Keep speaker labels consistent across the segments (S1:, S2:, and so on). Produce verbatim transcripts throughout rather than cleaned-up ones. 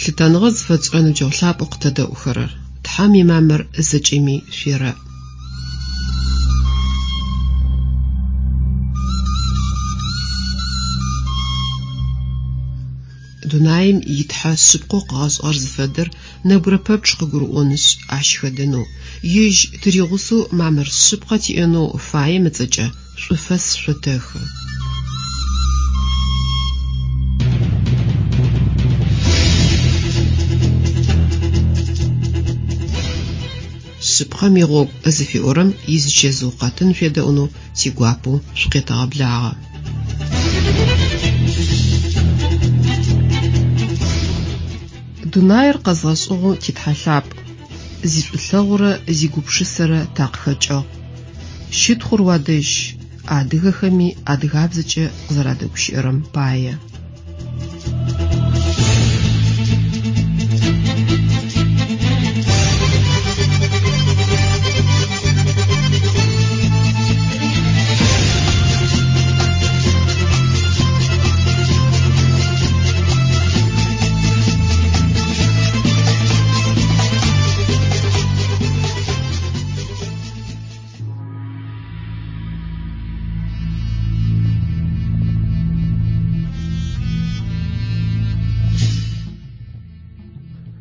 S1: Лъытэныгъэ зыфэтшӏырэ ныбджэгъу лъапӏэу къытэдэӏухэрэр, Тхьэм имамыр зэкӏэми шъуерэӏ. Дунаим итхьэ шъыпкъэу къыгъэшӏыгъэр зыфэдэр нэбгырэ пэпчъ къыгурыӏонышъ, ащ хэдэнэу, ежь тыригъусэу мамыр шъыпкъэ тиӏэнэу фаем ыцӏэкӏэ шӏуфэс шъотэхы. Шъыпкъэм игъогу зыфиӏорэм изычэзыу къэтын шъуедэӏунэу тигуапэу шъукъетэгъэблагъэ. Дунаир къэзгъэшӏыгъэу титхьэ лъапӏ, зишӏулъэгъурэ зигупшысэрэ такъыхэкӏыгъ. Щытхъур уадэжь, адыгэхэми адыгабзэкӏэ къызэрадэгущыӏэрэм пае.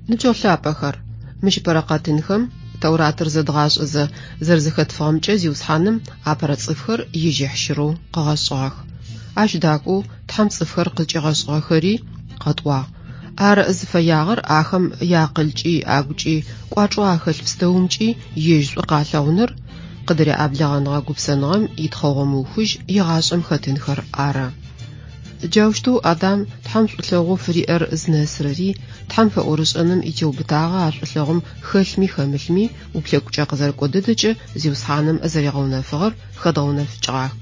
S1: Ныбджэгъу лъапӏэхэр, мыщ ыпэрэ къэтынхэм Тауратыр зэдгъашӏэзэ зэрэзэхэтфыгъэмкӏэ Зиусхьаным апэрэ цӏыфхэр ежь ехьщырэу къыгъэшӏыгъэх. Ащ дакӏоу Тхьэм цӏыфхэр къызкӏигъэшӏыгъэхэри къэтӏуагъ. Ар зыфэягъэр ахэм яакъылкӏи, агукӏи, кӏуачӏэу ахэлъ пстэумкӏи ежь шӏу къалъэгъуныр, къыдыряӏэблэгъэныгъэ гупсэныгъэм итхъэгъо мыухыжь егъашӏэм хэтынхэр ары. Джаущтэу Адам Тхьэм шӏулъэгъоу фыриӏэр зынэсырэри, Тхьэм фэӏорышӏэным итеубытагъэ а шӏулъэгъум хэлъми хэмылъми уплъэкӏукӏэ къызэрыкӏо дэдэкӏэ Зиусхьаным зэригъэунэфыгъэр хэдгъэунэфыкӏыгъах.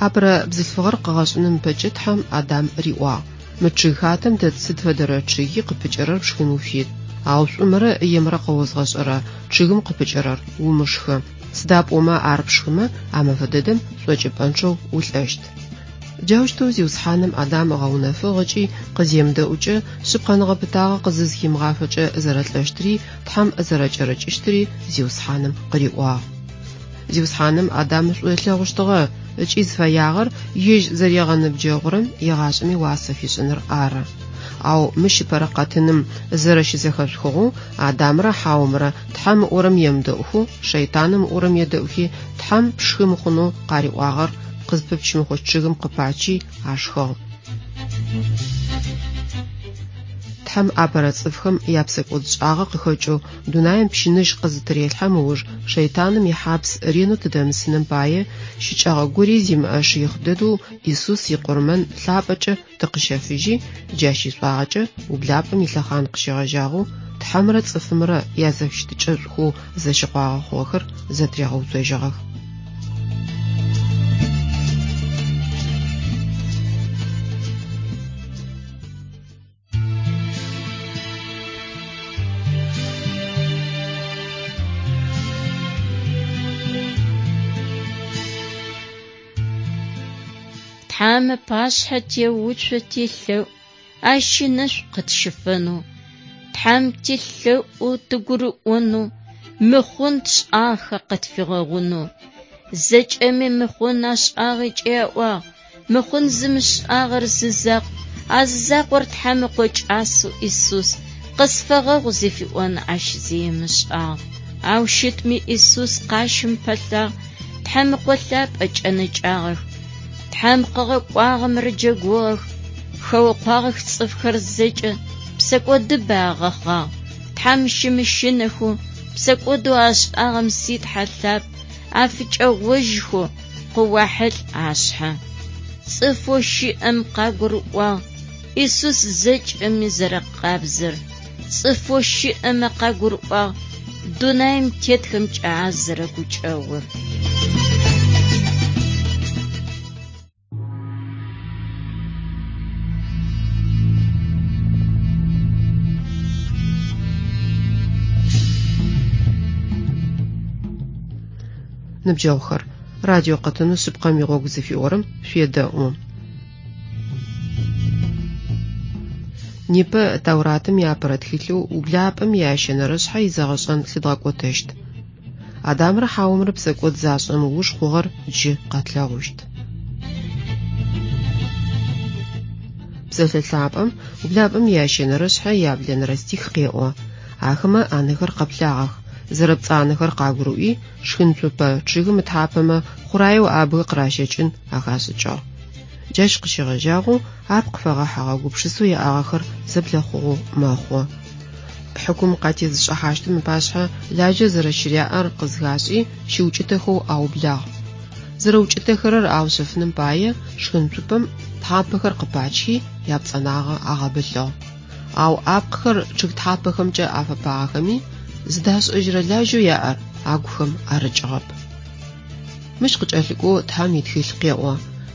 S1: Апэрэ бзылъфыгъэр къыгъэшӏыным ыпэкӏэ Тхьэм Адам риӏуагъ: Мы чъыг хатэм дэт сыд фэдэрэ чъыги къыпыкӏэрэр пшхын уфит, ау шӏумрэ емрэ къэозгъэшӏэрэ чъыгым къыпыкӏэрэр умышхы. Сыда пӏомэ ар пшхымэ, а мэфэ дэдэм шӏокӏыпӏэнчъэу улӏэщт. Джаущтэу Зиусхьаным Адам ыгъэунэфыгъ ыкӏи къыземыдэӏукӏэ шъыпкъэныгъэ пытагъэ къызызхимыгъафэкӏэ зэрэлӏэщтыри, Тхьэм зэрэкӏэрыкӏыщтыри Зиусхьаным къыриӏуагъ. Зиусхьаным Адам шӏу ылъэгъущтыгъэ ыкӏи зыфэягъэр ежь зэригъэныбджэгъурэм егъашӏэми уасэ фишӏыныр ары. Ау мыщ ыпэрэ къэтыным зэрэщызэхэшъухыгъэу Адамрэ Хьаомрэ Тхьэм ыӏорэм емыдэӏухэу, шэйтаным ыӏорэм едэӏухи, Тхьэм пшхы мыхъунэу къариӏуагъэр къызпыпчымыхъущт чъыгым къыпачи ашхыгъ. Тхьэм апэрэ цӏыфхэм япсэкӏодшӏагъэ къыхэкӏэу дунаим пщыныжь къызытырелъхьэм ыуж шэйтаным ихьапс ренэу тыдэмысыным пае щыкӏэгъэ гори зимыӏэ шыихъ дэдэу Исус икъурмэн лъапӏэкӏэ тыкъыщэфыжьи, джащ ишӏуагъэкӏэ ублапӏэм илъэхъан къыщегъэжьагъэу Тхьэмрэ цӏыфымрэ язэфыщытыкӏэшӏухэу зэщыкъуагъэ хъугъэхэр зэтыригъэуцожьыгъэх.
S2: Тхьэм ыпашъхьэ теуцо тилъэӏу, ащ ынэшӏу къытщыфэнэу. Тхьэм тилъэӏу тыгурыӏонэу, мыхъун тшӏагъэ къытфигъэгъунэу. Зэкӏэми мыхъун ашӏагъэкӏэ аӏуагъ, мыхъун зымышӏагъэр зы закъу, а зы закъор Тхьэм ыкъо кӏасэу Исус къысфэгъэгъу зыфиӏон ащ зи ымышӏагъ. Ау щытми Исус къащым пэлъагъ, Тхьэм ыкъо лъапӏэ кӏэнэкӏагъэх. Тхьэм къыгъэкӏуагъэм рыджэгугъэх, хэукъуагъэх цӏыфхэр зэкӏэ, псэкӏодыбэ агъэхъагъ. Тхьэм щымыщынэхэу, псэкӏодэу ашӏагъэм си Тхьэ лъапӏ, афыкӏэгъожьхэу къыуахьылӏ ашъхьэ. Цӏыфэу щыӏэм къагурыӏуагъ Исус зэкӏэми зэрэкъабзэр. Цӏыфэу щыӏэмэ къагурыӏуагъ дунаим тетхэмкӏэ ар зэрэгукӏэгъур.
S1: Ныбджэгъухэр, радио къэтынэу шъыпкъэм игъогу зыфиӏорэм шъуедэӏу. Непэ Тауратым иапэрэ тхылъэу ублапӏэм ящэнэрэ шъхьэ изэгъэшӏэн лъыдгъэкӏотэщт. Адамрэ Хьаомрэ псэкӏод зашӏэм ыуж хъугъэр джы къэтлъэгъущт. Псэлъэ лъапӏэм ублапӏэм ящэнэрэ шъхьэ яблэнэрэ стих къеӏо. Ахэмэ анэхэр къэплъагъэх. Зэрэпцӏанэхэр къагурыӏуи, шхынцупэ чъыгым ытхьапэмэ хъураеу абгы къыращэкӏын ахашӏыкӏыгъ. Джащ къыщегъэжьагъэу апкъ фэгъэхьыгъэ гупшысэу яӏагъэхэр зэблэхъугъэу мэхъу. Хьыкум къатезышӏыхьащтым ыпашъхьэ лажьэ зэрэщыряӏэр къызхашӏи, щыукӏытэхэу аублагъ. Зэрэукӏытэхэрэр аушъэфыным пае шхынцупэм тхьапэхэр къыпачхи, япцӏэнагъэ агъэбылъыгъ. Ау апкъхэр чъыг тхьапэхэмкӏэ афэпагъэхэми, зыдашӏэжьырэ лажьэу яӏэр агухэм арыкӏыгъэп. Мыщ къыкӏэлъыкӏоу Тхьэм итхылъ къеӏо.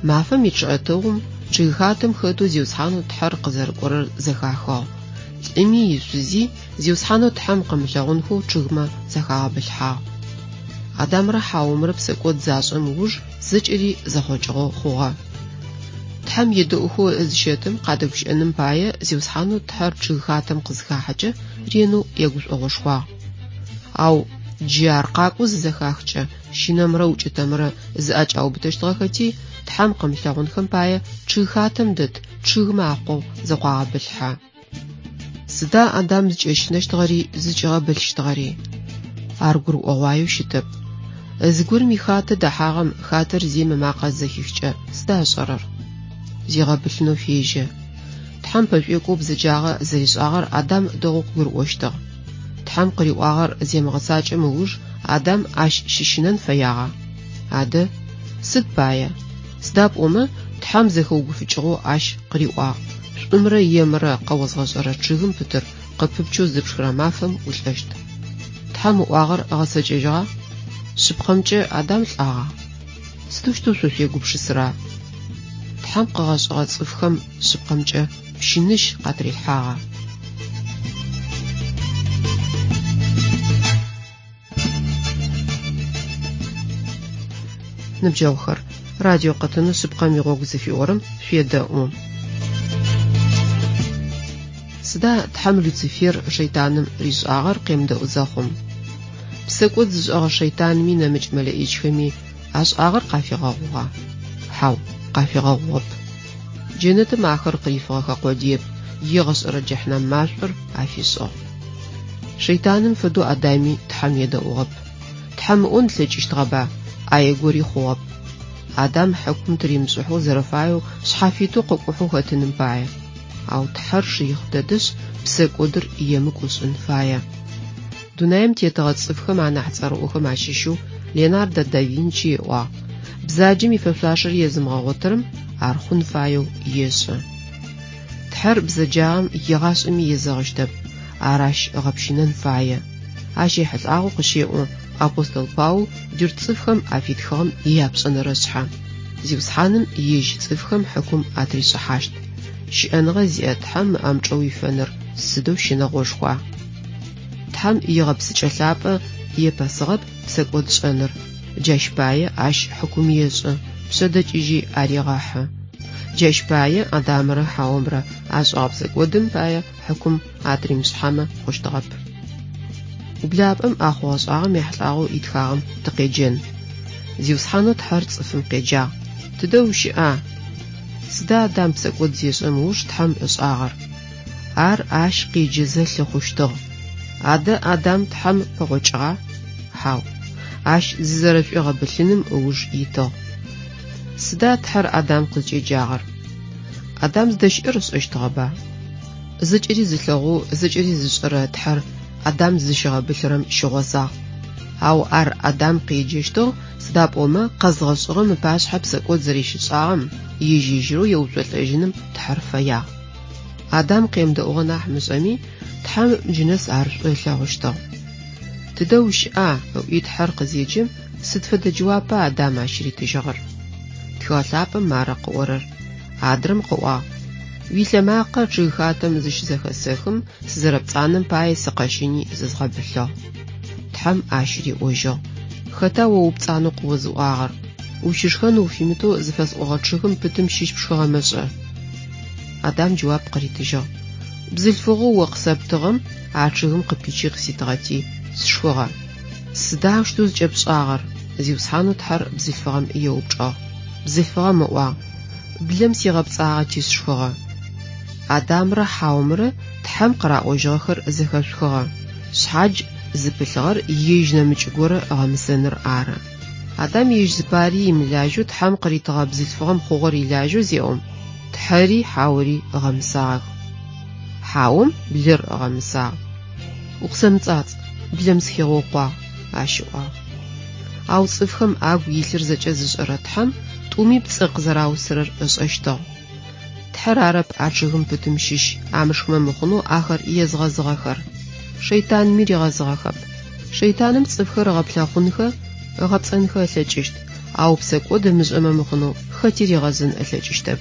S1: Мафэм ичъыӏэтыгъум чъыгхатэм хэтэу Зиусхьанэу Тхьэр къызэрыкӏорэр зэхахыгъ. Лӏыми ишъузи Зиусхьанэу Тхьэм къымылъэгъунхэу чъыгмэ захагъэбылъхьагъ. Адамрэ Хьаомрэ псэкӏод зашӏэм ыуж зэкӏэри зэхъокӏыгъэу хъугъэ. Тхьэм едэӏухэу зыщэтым къадэгущыӏэным пае Зиусхьанэу Тхьэр чъыгхатэм къызыхахьэкӏэ ренэу егушӏогъошхуагъ. Ау джы ар къакӏоу зызэхахкӏэ щынэмрэ укӏытэмрэ зыӏэкӏаубытэщтыгъэхэти, Тхьэм къымылъэгъунхэм пае чъыгхатэм дэт чъыгмэ акъогъу зыкъуагъэбылъхьэ. Сыда Адам зыкӏэщынэщтыгъэри зыкӏигъэбылъщтыгъэри? Ар гурыӏогъуаеу щытэп. Зыгорэм ихатэ дэхьагъэм хатэр зием ымакъэ зэхихкӏэ сыда ышӏэрэр? Зигъэбылъынэу фежьэ. Тхьэм пэшӏуекӏоу бзэджагъэ зэришӏагъэр Адам дэгъоу къыгурыӏощтыгъ. Тхьэм къыриӏуагъэр земыгъэцакӏэм ыуж Адам ащ щыщынэн фэягъа? Адэ, сыд пае? Сыда пӏомэ Тхьэм зэхэугуфыкӏыгъэу ащ къыриӏуагъ: шӏумрэ емрэ къэозгъэшӏэрэ чъыгым пытыр къыпыпчэу зыпшхырэ мафэм улӏэщт. Тхьэм ыӏуагъэр ыгъэцэкӏэжьыгъа? Шъыпкъэмкӏэ Адам лӏагъа? Сыдэущтэу шъо шъуегупшысэра? Тхьэм къыгъэшӏыгъэ цӏыфхэм шъыпкъэмкӏэ пщыныщ къатрилъхьагъа? Ныбджэгъухэр, радио къэтынэу шъыпкъэм игъогу зыфиӏорэм шъуедэӏу. Сыда Тхьэм Люцифер шэйтаным ришӏагъэр къемыдэӏу зэхъум? Псэкӏод зышӏэгъэ шэйтанми нэмыкӏ мэлэӏичхэми ашӏагъэр къафигъэгъугъа? Хьау, къафигъэгъугъэп. Джэнэтым ахэр къырифыгъэхэ къодыеп, егъэшӏэрэ джэхьнэм машӏор афишӏыгъ. Шэйтаным фэдэу Адами Тхьэм едэӏугъэп. Тхьэм ыӏон ылъэкӏыщтыгъэба, ӏае гори хъугъэп. Адам хьыкум тыримышӏыхьэу зэрэфаеу шъхьафитэу къыкӏухьэу хэтыным пае. Ау Тхьэр шыихъ дэдэшъ, псэкӏодыр емыкӏу ышӏын фае. Дунаим тетыгъэ цӏыфхэм анахь цӏэрыӏохэм ащыщэу Леонардо да Винчи ыӏуагъ: бзаджэм ифэшъуашэр езымыгъэгъотырэм ар хъун фаеу ешӏы. Тхьэр бзэджагъэм егъашӏэми езэгъыщтэп, ар ащ ыгъэпщынэн фае. Ащ ехьылӏагъэу къыщеӏо апостол Паул джырт цӏыфхэм афитхыгъэм ияпшӏэнэрэ шъхьэ. Зиусхьаным ежь цӏыфхэм хьыкум атришӏыхьащт. Щыӏэныгъэ зиӏэ Тхьэм ыӏэмычӏэ уифэныр сыдэу щынэгъошхуа? Тхьэм игъэпсыкӏэ лъапӏэ епэсыгъэп псэкӏод шӏэныр. Джащ пае ащ хьыкум ешӏы, пшъэдэкӏыжьи арегъэхьы. Джащ пае Адамрэ Хьаомрэ ашӏэгъэ псэкӏодым пае хьыкум атыримышӏыхьэмэ хъущтыгъэп. Ублапӏэм а хъугъэ-шӏагъэм ехьылӏагъэу итхагъэм тыкъеджэн. Зиусхьанэу Тхьэр цӏыфым къеджагъ: Тыдэ ущыӏа? Сыда Адам псэкӏод зешӏэм ыуж Тхьэм ышӏагъэр? Ар ащ къеджэзэ лъыхъущтыгъ. Адэ Адам Тхьэм пэгъокӏыгъа? Хьау. Ащ зызэрэшӏуигъэбылъыным ыуж итыгъ. Сыда Тхьэр Адам къызкӏеджагъэр? Адам зыдэщыӏэр ышӏэщтыгъэба? Зэкӏэри зылъэгъоу, зэкӏэри зышӏэрэ Тхьэр Адам зыщигъэбылъырэм щыгъозагъ. Ау ар Адам къеджэщтыгъ, сыда пӏомэ къэзгъэшӏыгъэм ыпашъхьэ псэкӏод зэрэщишӏагъэм ежь-ежьырэу еуцолӏэжьыным Тхьэр фэягъ. Адам къемыдэӏугъэ нахь мышӏэми, Тхьэм джынэс ар шӏу ылъэгъущтыгъ. Тыдэ ущыӏа? Ыӏуи Тхьэр къызеджэм, сыд фэдэ джэуапа Адам ащ ритыжьыгъэр? Тхыгъэ лъапӏэм мары къыӏорэр. Адрэм къыӏуагъ: Уилъэмакъэ чъыгхатэм зыщызэхэсэхым, сызэрэпцӏанэм пае сыкъэщыни зызгъэбылъыгъ. Тхьэм ащ риӏожьыгъ: Хэта о упцӏанэу къыозыӏуагъэр? Ущышхэн уфимытэу зыфэсӏогъэ чъыгым пытым щыщ пшхыгъэмэ шӏэ? Адам джэуап къыритыжьыгъ: Бзылъфыгъэу о къысэптыгъэм а чъыгым къыпичи къыситыгъэти, сшхыгъэ. Сыда аущтэу зыкӏэпшӏагъэр? Зиусхьанэу Тхьэр бзылъфыгъэм еупчӏыгъ. Бзылъфыгъэм ыӏуагъ: Блэм сигъэпцӏагъэти сшхыгъэ. Адамрэ Хьаомрэ Тхьэм къыраӏожьыгъэхэр зэхэшъухыгъэ. Шъхьадж зыпылъыгъэр ежь нэмыкӏ горэ ыгъэмысэныр ары. Адам ежь зыпари имылажьэу Тхьэм къыритыгъэ бзылъфыгъэм хъугъэр илажьэу зеӏом, Тхьэри Хьаори ыгъэмысагъэх. Хьаом блыр ыгъэмысагъ. Укъысэмыцӏацӏ, блэм сыхигъэукъуагъ, ащ ыӏуагъ. Ау цӏыфхэм агу илъыр зэкӏэ зышӏэрэ Тхьэм тӏуми пцӏы къызэраусырэр ышӏэщтыгъ. Тхьэр арэп а чъыгым пытым щыщ амышхымэ мыхъунэу ахэр езгъэзыгъэхэр. Шэйтанми ригъэзыгъэхэп. Шэйтаным цӏыфхэр ыгъэплъэхъунхэ, ыгъэпцӏэнхэ ылъэкӏыщт, ау псэкӏод ымышӏэмэ мыхъунэу хэти ригъэзын ылъэкӏыщтэп.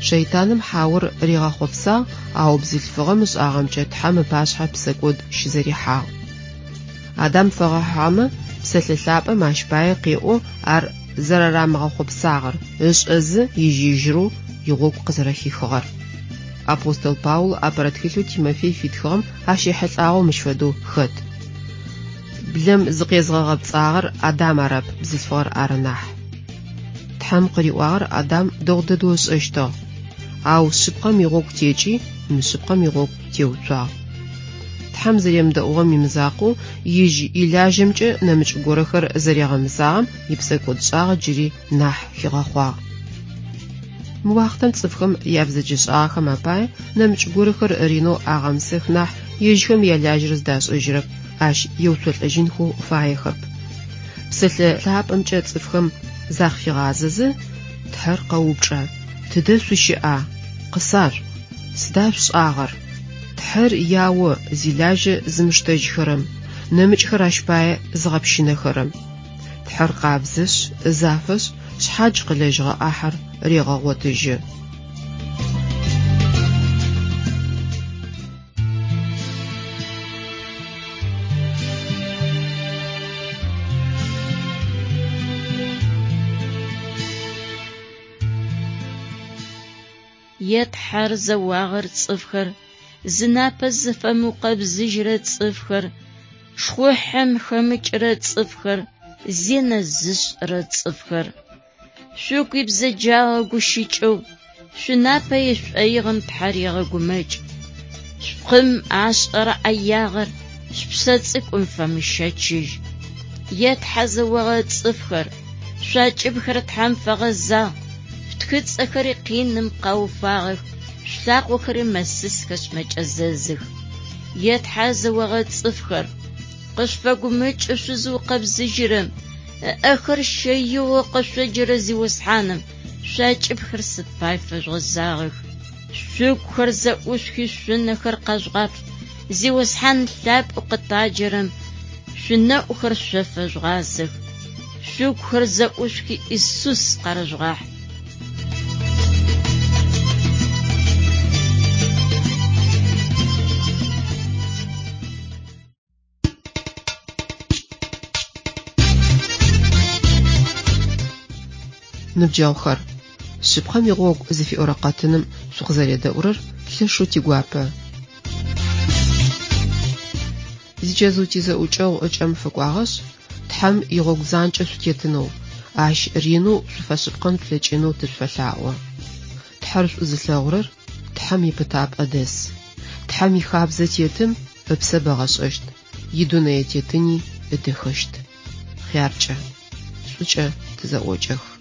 S1: Шэйтаным Хьаор ригъэхъопсагъ, ау бзылъфыгъэм ышӏагъэмкӏэ Тхьэм ыпашъхьэ псэкӏод щызэрихьагъ. Адам фэгъэхьыгъэмэ, псэлъэ лъапӏэм ащ пае къеӏо ар зэрэрамыгъэхъопсагъэр, ышӏэзэ ежь-ежьырэу игъогу къызэрэхихыгъэр. Апостол Паул апэрэ тхылъэу Тимофей фитхыгъэм ащ ехьылӏагъэу мыщ фэдэу хэт. Блэм зыкъезгъэгъэпцӏагъэр Адам арэп, бзылъфыгъэр ары нахь. Тхьэм къыриӏуагъэр Адам дэгъу дэдэу ышӏэщтыгъ. Ау шъыпкъэм игъогу текӏи, мышъыпкъэм игъогу теуцуагъ. Тхьэм зэремыдэӏугъэм имызакъоу, ежь илажьэмкӏэ нэмыкӏ горэхэр зэригъэмысагъэм ипсэкӏодшӏагъэ джыри нахь хигъэхъуагъ. Мы уахътэм цӏыфхэм ябзэджэшӏагъэхэм апае нэмыкӏ горэхэр ренэу агъэмысэх нахь ежьхэм ялажьэр зыдашӏэжьырэп, ащ еуцолӏэжьынхэу фаехэп. Псэлъэ лъапӏэмкӏэ цӏыфхэм закъыфигъазэзэ, Тхьэр къэупчӏэ: Тыдэ шъущыӏа? Къысашъуӏу. Сыда шъушӏагъэр? Тхьэр яо зилажьэ зымыштэжьхэрэм, нэмыкӏхэр ащ пае зыгъэпщынэхэрэм. Тхьэр къабзэшъ, зафэшъ, шъхьадж къылэжьыгъэ ӏахьэр регъэгъотыжьы.
S2: Е Тхьэр зэуагъэр цӏыфхэр, зынапэ зыфэмыукъэбзыжьырэ цӏыфхэр, шхъухьэм хэмыкӏырэ цӏыфхэр, зинэ зышӏэрэ цӏыфхэр. Шъугу ибзэджагъэ гущыкӏэу, шъунапэ ишӏоигъэм Тхьэр егъэгумэкӏ. Шъупкъым ашӏэрэ ӏэягъэр шъупсэ цӏыкӏум фэмыщэчыжь. Е Тхьэ зэогъэ цӏыфхэр, шъуакӏыбхэр Тхьэм фэгъэзагъ, шъутхыцӏэхэри къиным къауфагъэх, шъулъакъохэри мэсысхэшъ мэкӏэзэзых. Е Тхьэ зэогъэ цӏыфхэр, къышъуфэгумэкӏы шъузыукъэбзыжьырэм, ыӏэхэр щэигъэу къышъоджэрэ Зиусхьаным шъуакӏыбхэр сыд пай фэжъугъэзагъэх. Шъугухэр зэӏушъухи шъунэхэр къэжъугъаплъ, Зиусхьан лъапӏэу къытаджэрэм шъунэӏухэр шъо фэжъугъазэх. Шъугухэр зэӏушъухи Исус къарыжъугъахь.
S1: Ныбджэгъухэр, шъыпкъэм игъогу зыфиӏорэ къэтыным шъукъызэредэӏурэр лъэшэу тигуапэ. Зичэзыу тизэӏукӏэгъу ыкӏэм фэкӏуагъэшъ, Тхьэм игъогу занкӏэ шъутетынэу, ащ ренэу шъуфэшъыпкъэн шъулъэкӏынэу тышъуфэлъаӏо. Тхьэр шӏу зылъэгъурэр Тхьэм ипытапӏэ дэс. Тхьэм ихабзэ тетым ыпсэ бэгъэшӏэщт, идунэе тетыни ыдэхэщт. Хъяркӏэ, шӏукӏэ тызэӏокӏэх.